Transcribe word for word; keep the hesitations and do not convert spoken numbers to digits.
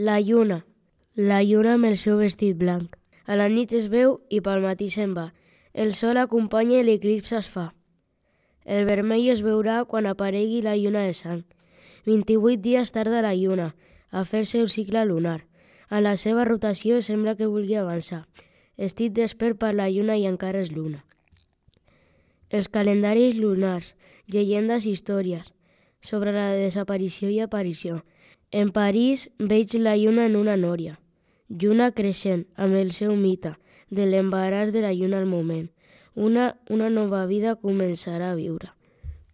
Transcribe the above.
La lluna. La lluna amb el seu vestit blanc. A la nit es veu i pel matí se'n va. El sol acompanya i l'eclipse es fa. El vermell es veurà quan aparegui la lluna de sang. vint-i-vuit dies tarda la lluna a fer-se el cicle lunar. En la seva rotació sembla que vulgui avançar. Estic despert per la lluna i encara és luna. Els calendaris lunars, llegendes i històries sobre la desaparició i aparició. En París veig la lluna en una nòria. Lluna creixent, amb el seu mite, de l'embaràs de la lluna al moment. Una, una nova vida començarà a viure.